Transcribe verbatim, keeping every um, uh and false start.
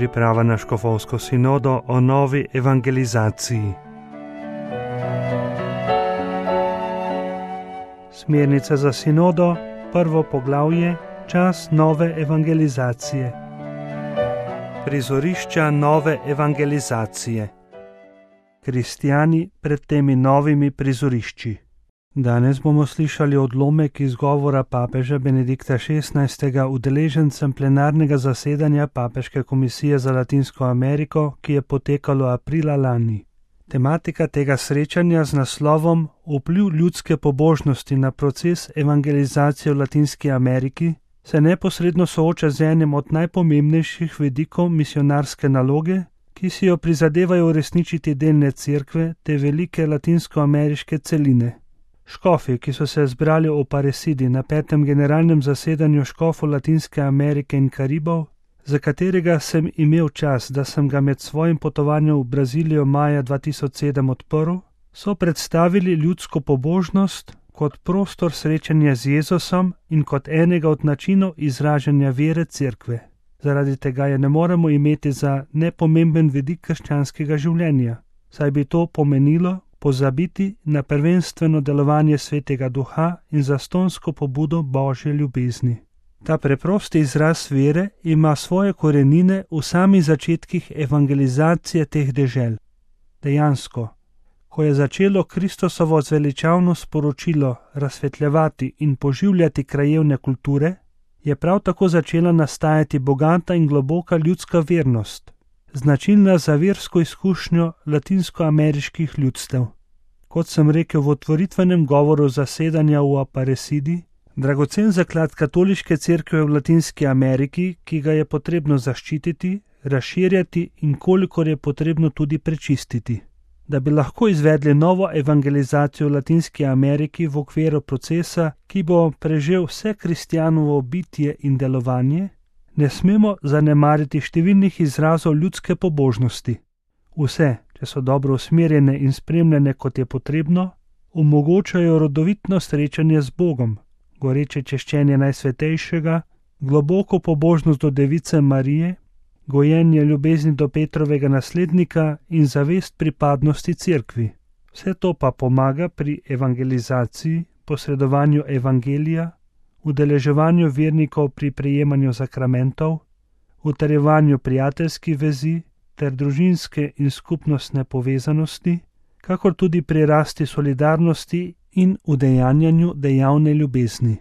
Priprava na škofovsko sinodo o novi evangelizaciji. Smernice za sinodo, prvo poglavje, čas nove evangelizacije. Prizorišča nove evangelizacije. Kristjani pred temi novimi prizorišči. Danes bomo slišali odlomek iz govora papeža Benedikta šestnajstega udeležencem plenarnega zasedanja Papeške komisije za Latinsko Ameriko, ki je potekalo aprila lani. Tematika tega srečanja z naslovom Vpliv ljudske pobožnosti na proces evangelizacije v Latinski Ameriki se neposredno sooča z enim od najpomembnejših vidikov misionarske naloge, ki si jo prizadevajo uresničiti delne cerkve te velike latinskoameriške celine. Škofi, ki so se zbrali v Aparecidi na petem generalnem zasedanju škofov Latinske Amerike in Karibov, za katerega sem imel čas, da sem ga med svojim potovanjem v Brazilijo maja dva tisoč sedem odprl, so predstavili ljudsko pobožnost kot prostor srečanja z Jezusom in kot enega od načinov izražanja vere cerkve. Zaradi tega je ne moremo imeti za nepomemben vidik krščanskega življenja, saj bi to pomenilo pozabiti na prvenstveno delovanje Svetega Duha in zastonsko pobudo Božje ljubezni. Ta preprosti izraz vere ima svoje korenine v samih začetkih evangelizacije teh dežel. Dejansko, ko je začelo Kristusovo zveličavno sporočilo razsvetljevati in poživljati krajevne kulture, je prav tako začela nastajati bogata in globoka ljudska vernost, značilna za versko izkušnjo latinskoameriških ljudstev. Kot sem rekel v otvoritvenem govoru zasedanja v Aparecidi, dragocen zaklad katoliške cerkve v Latinski Ameriki, ki ga je potrebno zaščititi, razširjati in kolikor je potrebno tudi prečistiti. Da bi lahko izvedli novo evangelizacijo v Latinski Ameriki v okviru procesa, ki bo prežel vse kristjanovo bitje in delovanje, ne smemo zanemariti številnih izrazov ljudske pobožnosti. Vse, če so dobro usmerjene in spremljene, kot je potrebno, omogočajo rodovitno srečanje z Bogom, goreče češčenje Najsvetejšega, globoko pobožnost do Device Marije, gojenje ljubezni do Petrovega naslednika in zavest pripadnosti cerkvi. Vse to pa pomaga pri evangelizaciji, posredovanju evangelija, udeleževanju vernikov pri prejemanju sakramentov, utrjevanju prijateljskih vezi ter družinske in skupnostne povezanosti, kakor tudi pri rasti solidarnosti in udejanjanju dejavne ljubezni.